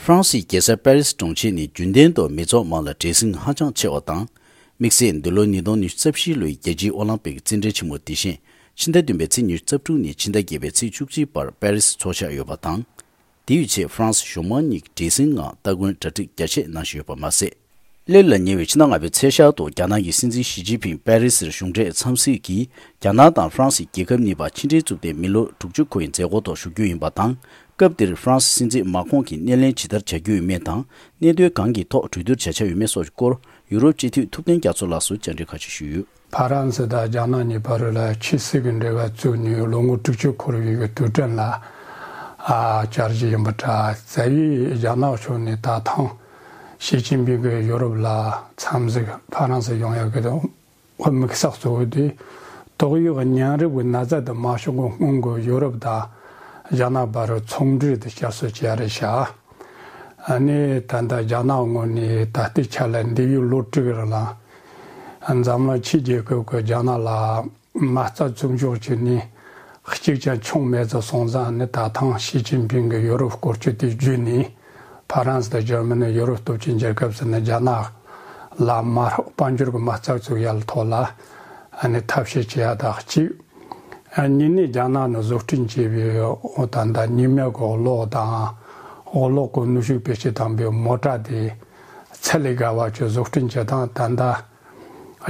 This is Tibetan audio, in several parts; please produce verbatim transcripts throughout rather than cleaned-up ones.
ཧྥ་རན་སིའི་རྒྱལ་ས་པེ་རི་སི་གྲོང་ཁྱེར་ནི་རྒྱུན་ལྡན་དུ་མི་ཚོགས་མང་ལ་བྲེལ་ཟིང་ཧ་ཅང་ཆེ་བ་དང་། དམིགས་བསལ་འདི་ལོ་ཉིས་སྟོང་ཉི་ཤུ་རྩ་བཞི་ལོའི་རྒྱལ་སྤྱིའི་ཨོ་ལིམ་པིག་རྩེད་འགྲན་ཆེན་མོ་དེ་བཞིན་ཕྱི་ཟླ་བདུན་པའི་ཚེས་ཉི་ཤུ་རྩ་དྲུག་ནས་ཕྱི་ཟླ་བརྒྱད་པའི་ཚེས་བཅུ་གཅིག་བར་པེ་རི་སི་འཚོགས་འཆར་ཡོད་པ་དང་། དེ་ཡི་ཆེད་ཧྥ་རན་སི་གཞུང་མང་གཉིས་ཀྱིས་བྲེལ་ཟིང་ངང་སྟ་གོན་གྲ་སྒྲིག་རྒྱ་ཆེ་གནང་བཞིན་ཡོད་པ་མ་ཟད། སླེབས་ལ་ཉེ་བའི་ཕྱི་ཟླ་ལྔ་པའི་ཚེས་ཤར་དུ་རྒྱ་ནག་གི་སྲིད་འཛིན་ཞི་ཅིན་ཕིང་པེ་རི་སིར་གཞུང་འབྲེལ་འཚམས་གཟིགས་ཀྱིས་རྒྱ་ནག་དང་ཧྥ་རན་སི་རྒྱལ་ཁབ་གཉིས་བར་ཕྱི་འབྲེལ་བཙུགས་ཏེ་མི་ལོ་དྲུག་ཅུ་འཁོར་བའི་མཛད་སྒོ་ཐོག་ཞུགས་རྒྱུ་ཡིན་པ་དང་། སྐབས་དེར་ཧྥ་རན་སི་སྲིད་འཛིན་མཱ་ཁོང་གིས་སྣེ་ལེན་ཇི་ལྟར་བྱ་རྒྱུ་ཡོད་མེད་དང་། གནད་དོན་གང་གི་ཐོག་གྲོས་བསྡུར་བྱ་འཆར་ཡོད་མེད་སོགས་ཀྱི་སྐོར་ཡུ་རོབ་སྤྱི་འཐུས་ཐུབ་བསྟན་རྒྱ་མཚོ་ལགས་སུ་བཅར་འདྲི་ཁ་ཤས་ཞུས་ཡོད། ཕ་རན་སི་དང་རྒྱ་ནག་གཉིས་བར་ལ་ཆབ་སྲིད་ཀྱི་འབྲེལ་བ་བཙུགས་ནས་ལོ་ངོ་དྲུག་ཅུ་འཁོར་བའི་དུས་དྲན་ལ་ཨ་བཅར་གྱི་ཡིན་པ་འདྲ། རྩ་བའི་རྒྱ་ནག་ཕྱོགས་ནས་ད་ཐེངས་ཞི་ཅིན་ཕིང་གིས་ཡོ་རོབ་ལ་འཚམས་གཟིགས་ཕ་རན་སི་ཡོང་ཡག་གི་དམིགས་བསལ་གཙོ་བོ་དེ་ཏོག་དབྱིབས་གཉན་རིམས་ཀྱི་ན་ཚ་དེ་མ་བྱུང་གོང་སྔོན་གྱི་ཡོ་རོབ་དང་རྒྱ་ནག་བར་ཚོང་འབྲེལ་དེ་བསྐྱར་གསོ་བྱས་རེད་ཤག་ཨ་ནི་ད་ལྟ་རྒྱ་ནག་ངོས་ནས་ད་ལྟའི་ཆ་ལ་འདས་པའི་ལོ་དྲུག་རིང་ལ་འཛམ་གླིང་ཕྱི་རྒྱལ་ཁབ་ཀྱིས་རྒྱ་ནག་ལ་མ་རྩ་བཙུགས་འཇོག་བྱས་ནས་གཅིག་ཀྱང་བྱུང་མེད་ཙང་སོང་ཙང་ནི་ད་ཐེངས་ཞི་ཅིན་ཕིང་གིས་ཡོ་རོབ་སྐོར་སྐྱོད་དེ་བརྒྱུད་ནས་ཕ་རན་སི་དང་འཇར་མ་ནི་ཡོ་རོབ་སྟོབས་ཆེན་རྒྱལ་ཁབ་ཟེར་ནས་རྒྱ་ནག་ལ་མ་དཔལ་འབྱོར་གྱི་མ་རྩ་བཙུགས་ཡག་ཐོག་ལ་ཨ་ནི་ཐབས་ཤེས་བྱེད་ཡག་དང་གཅིག་ཨ་གཉིས་ནས་རྒྱ་ནག་ནས་བཟོ་སྐྲུན་བྱས་པའི་ད་ལྟ་ཉི་མའི་གི་གློག་དང་། གློག་གི་ནུས་ཤུགས་བེད་སྤྱོད་བཏང་པའི་མོ་ཊ་དེ་ཚད་ལས་བརྒལ་བ་ཅིག་བཟོ་སྐྲུན་བྱེད་སྟངས་ད་ལྟ་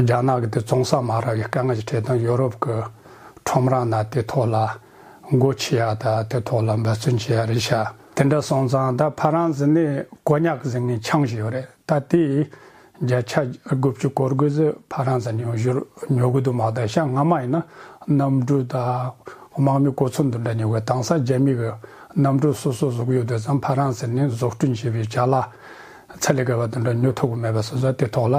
རྒྱ་ནག་གི་དེ་བཙོང་ས་མ་རག་པའི་དཀའ་ངལ་ཞིག་འཕྲད་དང་། ཡོ་རོབ་ཀྱི་ཁྲོམ་ར་ནང་དེ་ཐོག་ལ་སྒོ་ཕྱེ་ཡག་དང་དེ་ཐོག་ལ་འབད་བརྩོན་བྱེད་ཡག་རེད་ཤག་དེ་འདྲ་སོང་ཙང་ད་ཕ་རན་སི་ནས་ཀོ་ཉག་ཟེར་མཁན་ཆང་ཞིག་ཡོད་རེད། ད་དེ་བརྒྱ་ཆ་དགུ་བཅུ་གོ་དགུ་ཟིག་ཕ་རན་སི་ནས་བཞུར་ཉོ་གི་འདུག་མ་གཏོགས་ཤག་སྔ་མ་ཡིན་ན་གནམ་གྲུ་དང་དམག་མི་གོ་མཚོན་དེ་འདྲ་ཉོ་གི། དེང་སང་རྒྱ་མི་གིས་གནམ་གྲུ་སོ་སོ་བཟོ་གི་ཡོད་དུས་ཙང་ཕ་རན་སི་ནས་བཟོ་སྐྲུན་བྱས་པའི་ཅ་ལག་ཚད་ལས་བརྒལ་བ་དེ་འདྲ་ཉོ་ཐུབ་གི་མེད་པ་སོང་ཙང་དེ་ཐོག་ལ་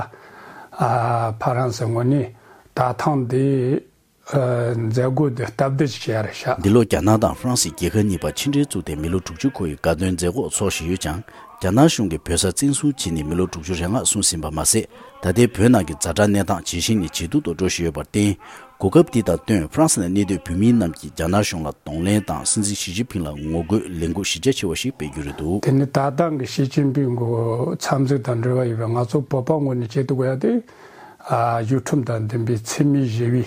ཨ་ཕ་རན་སི་ངོས་ནས་ད་ཐེངས་འདི་ཨ་མཛད་སྒོ་འདི་སྟབས་བདེ་ཞིག་བྱས་རེད་ཤག་འདི་ལོ་རྒྱ་ནག་དང་ཧྥ་རན་སི་རྒྱལ་ཁབ་གཉིས་བར་ཕྱི་འབྲེལ་བཙུགས་ཏེ་མི་ལོ་དྲུག་ཅུ་འཁོར་བའི་དགའ་སྟོན་མཛད་སྒོ་འཚོགས་བཞིན་ཡོད་ཀྱང་། རྒྱ་ནག་གཞུང་གིས་བོད་ས་བཙན་བཟུང་བྱས་ནས་མི་ལོ་དྲུག་ཅུ་རེ་ལྔ་སོང་ཟིན་པ་མ་ཟད། ད་ལྟའི་བོད་ནང་གི་ཛ་དྲག་གནས་སྟངས་ཇེ་ཞན་ནས་ཇེ་སྡུག་ཏུ་འགྲོ་བཞིན་ཡོད་པར་བརྟེན། གོ་སྐབས་འདི་དང་བསྟུན་ཧྥ་རན་སི་ནང་གནས་སྡོད་བོད་མི་རྣམས་ཀྱིས་རྒྱ་ནག་གཞུང་ལ་གདོང་ལེན་དང་སྲིད་འཛིན་ཞི་ཅིན་ཕིང་ལ་ངོ་རྒོལ་ལས་འགུལ་གཞི་རྒྱ་ཆེ་བ་ཞིག་སྤེལ་རྒྱུ་རེད་འདུག་དེ་ནི་ད་ལྟ་གི་ཞི་ཅིན་ཕིང་གི་འཚམས་གཟིགས་དང་འབྲེལ་བ་ཡོད་པའི་ང་ཚོ་བོད་པ་ངོས་ནས་བྱེད་ཐུབ་ཡག་དེ་ཨ་གཞུང་ཁྲིམས་དང་ལྡན་པའི་འཚེ་མེད་ཞི་བའི་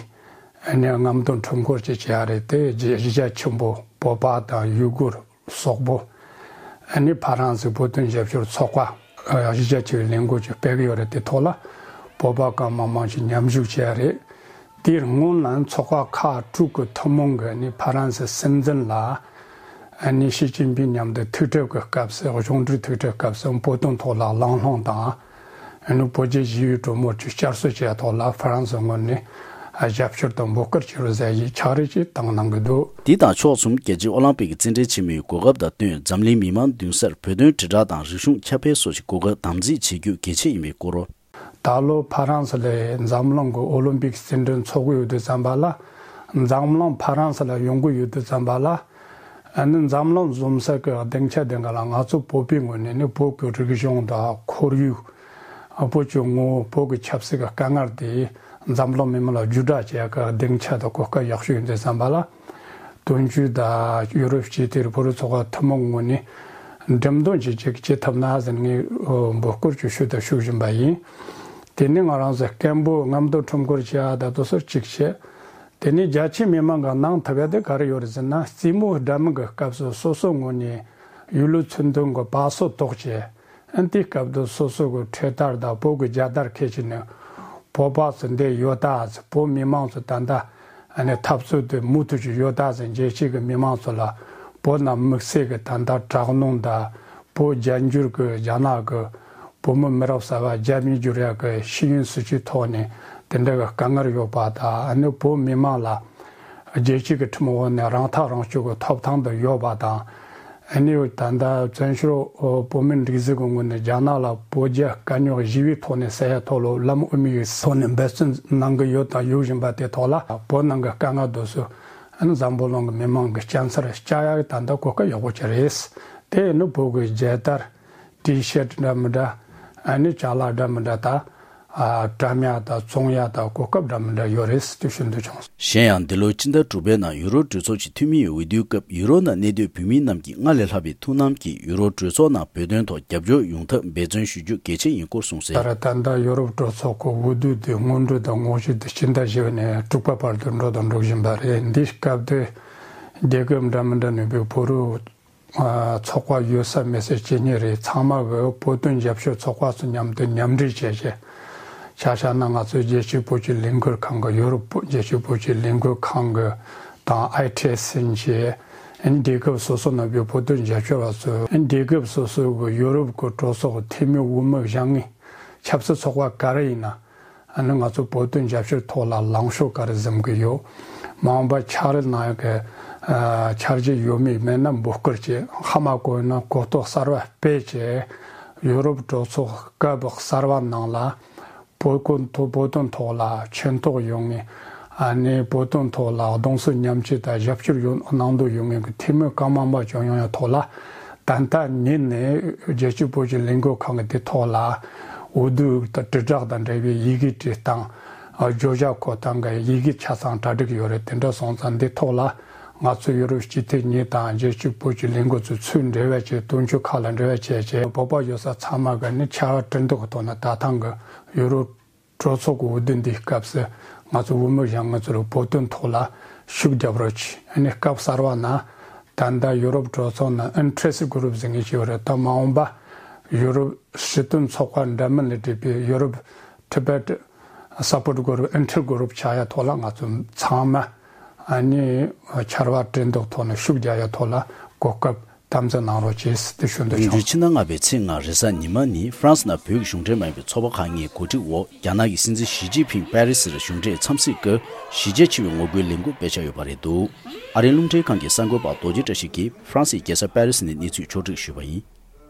ཨ་ནི་རྔམ་སྟོན་ཁྲོམ་སྐོར་ཅིག་བྱེད་ཡག་རེད་དེ། གཞི་རྒྱ་ཆེན་པོ་བོད་པ་དང་ཡུ་གུར་སོག་པོ་ཨ་ནི་ཕ་རན་སི་བོད་དོན་རྒྱབ་སྐྱོར་ཚོགས་པ་ཨ་གཞི་རྒྱ་ཆེ་བའི་ལས་འགུལ་ཅིག་སྤེལ་གི་ཡོད་རེད། དེ་ཐོག་ལ་བོད་པ་གང་མང་མང་ཞིག་མཉམ་ཞུགས་བྱས་རེད། དེའི་སྔོན་ལ་ཚོགས་པ་ཁག་དྲུག་གི་ཐུན་མོང་གི་ཨ་ནི་ཕ་རན་སི་སྲིད་འཛིན་ལ་ཨ་ནི་ཞི་ཅིན་ཕིང་མཉམ་དུ་ཐུག་འཕྲད་ཀྱི་སྐབས་སུ་གཞུང་འབྲེལ་ཐུག་འཕྲད་སྐབས་སུ་བོད་དོན་ཐོག་ལ་གླེང་སློང་དང་། ཨ་ནི་བོད་རྒྱ་ཞི་བའི་གྲོས་མོལ་ཅིག་བསྐྱར་གསོ་བྱས་ཐོག་ལ་ཧྥ་རན་སི་ངོས་ནས་ཨ་རྒྱབ་སྐྱོར་དང་འབོད་སྐུལ་བྱེད་རོགས་ཟེར་ཡིག་ཕྱག་བྲིས་ཅིག་བཏང་གནང་གི་འདུག་དེ་དང་ཕྱོགས་མཚུངས་རྒྱལ་སྤྱིའི་ཨོ་ལིམ་པིག་གི་རྩེད་འགྲན་ཆེན་མོའི་གོ་སྐབས་དང་བསྟུན་འཛམ་གླིང་མི་མང་མདུན་སར་བོད་དོན་དྲིལ་བསྒྲགས་དང་རིག་གཞུང་ཁྱབ་སྤེལ་སོགས་ཀྱི་གོ་སྐབས་དམ་འཛིན་བྱེད་རྒྱུ་གལ་ཆེ་ཡིན་པའི་སྐོར། ད་ལོ་ཕ་རན་སི་ལ་འཛམ་གླིང་གི་ཨོ་ལིམ་པིག་རྩེད་འགྲན་འཚོགས་ཀྱི་ཡོད་དུས་ཙམ་པ་ལ། འཛམ་གླིང་ཕ་རན་སི་ལ་ཡོང་གི་ཡོད་དུས་ཙམ་པ་ལ། ཨ་ནི་འཛམ་གླིང་འཛོམས་ས་གི་སྡིངས་ཆ་དེ་ག་ལ་ང་ཚོ་བོད་པའི་ངོས་ནས་ནི་བོད་ཀྱི་རིག་གཞུང་དང་ཁོར་ཡུག་བོད་ཀྱི་ངོ་བོ། བོད་ཀྱི་ཆབ་སྲིད་ཀྱི་དཀའ་ངལ་དེ་འཛམ་གླིང་མི་མང་ལ་བརྒྱུད་བསྒྲགས་བྱེད་ཡག་གི་སྡིངས་ཆ་དང་གོ་སྐབས་ཡག་ཤོས་ཡིན་དུས་ཙམ་པ་ལ། དོན་གཅོད་དང་ཡུ་རོབ་སྤྱི་མཐུན་བོད་རིགས་ཚོགས་པ་ཐུན་མོང་ངོས་ནས་འགྲེམས་སྟོན་ཅིག་ཅིག་བྱེད་ཐུབ་ན་ཟེར་ངས་འབོད་སྐུལ་ཅིག་ཞུ་དང་ཞུ་བཞིན་པ་ཡིན། དེ་ནས་ང་རང་ཚོ་སྐད་འབོད་རྔམ་སྟོན་ཁྲོམ་སྐོར་བྱེད་ཡག་ད་དུང་སོ་གཅིག་བྱས། དེ་ནས་རྒྱ་ཆེའི་མི་མང་གིས་གནང་ཐུབ་ཡག་དེ་ག་རེ་ཡོད་རེད་ཟེར་ན། རྩེད་མོ་འདྲ་མིན་གྱི་སྐབས་སུ་སོ་སོའི་ངོས་ནས་ཡུལ་ལུགས་ཚུལ་མཐུན་གྱི་བ་སོ་གཏོགས་བྱས། ཨ་ནི་དེའི་སྐབས་དུ་སོ་སོ་གི་འཕྲེད་དར་དང་བོད་ཀྱི་རྒྱལ་དར་འཁྱེར་བྱས་ནས། བོད་པ་ཚོ་འདིར་ཡོད་ད་ཟེར། བོད་མི་མང་ཚོ་ད་ལྟ་ཨ་ནི་འཐབ་རྩོད་དེ་མུ་མཐུད་ཀྱི་ཡོད་ད་ཟེར། རྒྱལ་སྤྱི་གི་མི་མང་ཚོ་ལ་བོད་ནང་དམིགས་བསལ་གྱི་ད་ལྟ་དྲག་གནོན་དང་། བོད་རྒྱ་འགྱུར་གྱི་རྒྱ་ནག་གིས་བོད་མི་མི་རབས་གསར་པ་རྒྱ་མིར་བསྒྱུར་ཡག་གི་ཤེས་ཡོན་སྲིད་བྱུས་ཐོག་ནས་དེ་འདྲ་གི་དཀའ་ངལ་ཡོད་པ་དང་། ཨ་ནི་བོད་མི་མང་ལ་རྒྱལ་སྤྱི་གི་ཁྲིམས་འོག་ནས་རང་ཐག་རང་གཅོད་ཀྱི་ཐོབ་ཐང་དུ་ཡོད་པ་དང་། ཨ་ནི་ད་ལྟ་བཙན་བྱོལ་བོད་མིའི་སྒྲིག་འཛུགས་ཀྱི་ངོས་ནས་རྒྱ་ནག་ལ་བོད་རྒྱ་དཀའ་རྙོག་ཞི་བའི་ཐོག་ནས་སེལ་ཡག་ཐོག་ལ་ལམ་དབུ་མའི་ཐོག་ནས་འབད་བརྩོན་གནང་གི་ཡོད་དང་ཡོད་བཞིན་པ་དེ་ཐོག་ལ། བོད་ནང་གི་དཀའ་ངལ་དེ་ཚོ་ཨ་ནི་འཛམ་བུ་གླིང་གི་མི་མང་གི་སྐྱ་སར་བཀྱག་ཡག་ད་ལྟ་གོ་སྐབས་ཡག་པོ་ཅིག་རེད། དེ་ནི་བོད་ཀྱི་རྒྱལ་དར། ཊི་ཤར་ཊི་འདྲ་མི་འདྲ། ཨ་ནི་ཅ་ལག་འདྲ་མི་འདྲ་དང་ ཨ་བཀྲམ་ཡག་དང་བཙོང་ཡག་དང་གོ་སྐབས་འདྲ་མི་འདྲ་ཡོད་རེད་ཟེར་དེ་ཞུ་འདོད་བྱུང་། གཞན་ཡང་འདི་ལོའི་སྤྱི་ཟླ་དྲུག་པའི་ནང་ཡུ་རོབ་གྲོས་ཚོགས་ཀྱི་འཐུས་མིའི་འོས་བསྡུའི་སྐབས་ཡུ་རོབ་ནང་གནས་སྡོད་བོད་མི་རྣམས་ཀྱིས་སྔར་ལས་ལྷག་པའི་ཐུགས་སྣང་གིས་ཡུ་རོབ་གྲོས་ཚོགས་ནང་བོད་དོན་ཐོག་རྒྱབ་སྐྱོར་ཡོང་ཐབས་འབད་བརྩོན་ཞུ་རྒྱུ་གལ་ཆེན་ཡིན་སྐོར་གསུངས་གསལ། ད་རེས་ད་ལྟ་ཡུ་རོབ་གྲོས་ཚོགས་ཀྱི་འོས་བསྡུ་དེ་སྔོན་འགྲོ་དང་དངོས་གཞི་དེ་སྤྱི་ཟླ་བཞི་པ་ནས་དྲུག་པ་བར་དུ་འགྲོ་དང་འགྲོ་བཞིན་པ་རེད། འདིའི་སྐབས་དེ་རྒྱལ་ཁབ་འདྲ་མི་འདྲ་ནས་བོད་རིགས་ཚོགས་པ་ཡོད་ས་མེད་ས་ཇི་སྙེད་རེད། ཚང་མ་གི་བོད་དོན་རྒྱབ་སྐྱོར་ཚོགས་པ་ཚོ་མཉམ་དུ་མཉམ་འབྲེལ་བྱས་བྱས། ཆ་བཞག་ན་ང་ཚོའི་རྒྱལ་སྤྱིའི་བོད་ཀྱི་ལས་འགུལ་ཁང་གི་ཡུ་རོབ་རྒྱལ་སྤྱིའི་བོད་ཀྱི་ལས་འགུལ་ཁང་གི་དང་ཨའི་ཊི་ཨེས་ཨེན་གྱི་རྒྱལ་ཁབ་སོ་སོ་ནང་བའི་བོད་དོན་རྒྱབ་སྐྱོར་བ་ཚོས་རྒྱལ་ཁབ་སོ་སོའི་གི་ཡུ་རོབ་ཀྱི་གྲོས་ཚོགས་འཐུས་མི་འོས་མི་བཞེངས་མཁན་ཆབ་སྲིད་ཚོགས་པ་ག་རེ་ཡིན་ན། ཨ་ནི་ང་ཚོ་བོད་དོན་རྒྱབ་སྐྱོར་ཐོག་ལ་ལངས་ཕྱོགས་ག་རེ་འཛིན་གི་ཡོད། མ་འོངས་པ་འཆར་གནང་ཡག་གི་ཨ་འཆར་གཞི་ཡོད་མེད་མེད་ན་འབོད་སྐུལ་བྱས། ཧ་མ་གོ་ན་གོ་རྟོགས་གསར་བ་སྤེལ་བྱས། ཡུ་རོབ་གྲོས་ཚོགས་སྐབས་གསར་བ་ནང་ལ་བོད་ཀུན་ཐོག་བོད་དོན་ཐོག་ལ་ཕྱིན་ཐོག་ཡོང་ངེས། ཨ་ནི་བོད་དོན་ཐོག་ལ་གདུང་སེམས་མཉམ་སྐྱེད་དང་རྒྱབ་སྐྱོར་ཡོད་གནང་འདོད་ཡོད་མཁན་གྱི་འཐུས་མི་གང་མང་མང་བྱུང་ཡོང་ཡག་ཐོག་ལ། ད་ལྟ་ཉིད་ནས་རྒྱལ་སྤྱིའི་བོད་ཀྱི་ལས་འགུལ་ཁང་གི་དེ་ཐོག་ལ་འོས་བསྡུ་དང་དྲིལ་བསྒྲགས་དང་འབྲེལ་བའི་ཡི་གེ་བྲིས་སྟངས། བརྗོད་བྱ་འཁོད་སྟངས་ཀྱི་ཡི་གེ་ཆ་ཚང་གྲ་སྒྲིག་ཡོད་རེད། དེ་འདྲ་སོང་ཙང་འདི་ཐོག་ལ་ང་ཚོ་ཡུ་རོབ་སྤྱི་འཐུས་གཉིས་དང་རྒྱལ་སྤྱིའི་བོད་ཀྱི་ལས་འགུལ་ཚོས་ཚུར་འབྲེལ་བ་བྱས། དོན་གཅོད་ཁག་ལ་འབྲེལ་བ་བྱས་བྱས། བོད་པ་ཡོད་ས་ཚང་མ་གི་ནི་ཕྱར་བ་གྲུ་འདེགས་ཀྱི་ཐོག་ནས་ད་ཐེངས་ཀྱི་ཡུ་རོབ་གྲོས་ཚོགས་ཀྱི་འོས་བསྡུ་འདིའི་སྐབས་སུ་ང་ཚོ་འོས་མི་བཞེངས་མཁན་ཚོ་ལ་བོད་དོན་ཐོག་ལ་ཤུགས་རྒྱབ་རོགས་གྱིས། ཨ་ནི་སྐབས་གསར་བ་ན་ད་ལྟ་ཡུ་རོབ་གྲོས་ཚོགས་ནང་ཨིན་ཊི་རེ་སི་གུ་རུབ་ཟེར་མཁན་ཞིག་ཡོད་རེད། ད་མ་འོངས་པ་ཡུ་རོབ་སྲིད་དོན་ཚོགས་པ་འདྲ་མིན་ལས་གྲུབ་པའི་ཡུ་རོབ་ཊི་བེ་ཊི་སཔོར་ཊི་གུ་རུབ། ཨིན་ཊི་རེ་སི་གུ་རུབ་ཆགས་ཡག་ཐོག་ལ་ང་ཚོ་ཚང་མ་ཨ་ནི་ཕྱར་བ་གྲུ་འདེགས་ཐོག་ནས་ཤུགས་རྒྱག་ཡག་ཐོག་ལ་གོ་སྐབས་དམ་འཛིན་གནང་རོགས་བྱེད་ཟེར་དེ་ཞུ་འདོད་བྱུང་། ཕྱི་ཟླ་ལྔ་པའི་ཚེས་ལྔ་རེས་གཟའ་ཉི་མ་ཉིན་ཧྥ་རན་སི་ནང་བོད་ཀྱི་གཞུང་འབྲེལ་མ་ཡིན་པའི་ཚོགས་པ་ཁག་གཉིས་གོ་སྒྲིག་འོག་རྒྱ་ནག་གི་སྲིད་འཛིན་ཞི་ཅིན་ཕིང་པེ་རི་སིར་གཞུང་འབྲེལ་འཚམས་གཟིགས་སྐབས་གཞིས་བྱེས་ཆེ་བའི་ངོ་རྒོལ་ལས་འགུལ་སྤེལ་འཆར་ཡོད་པ་རེད་འདུག་ཨ་རིའི་རླུང་འཕྲིན་ཁང་གི་གསར་འགོད་པ་རྡོ་རྗེ་བཀྲ་ཤིས་ཀྱིས་ཧྥ་རན་སིའི་རྒྱལ་ས་པེ་རི་སི་ནས་གནས་ཚུལ་ཕྱོགས་བསྒྲིགས་ཞུས་པ་ཡིན།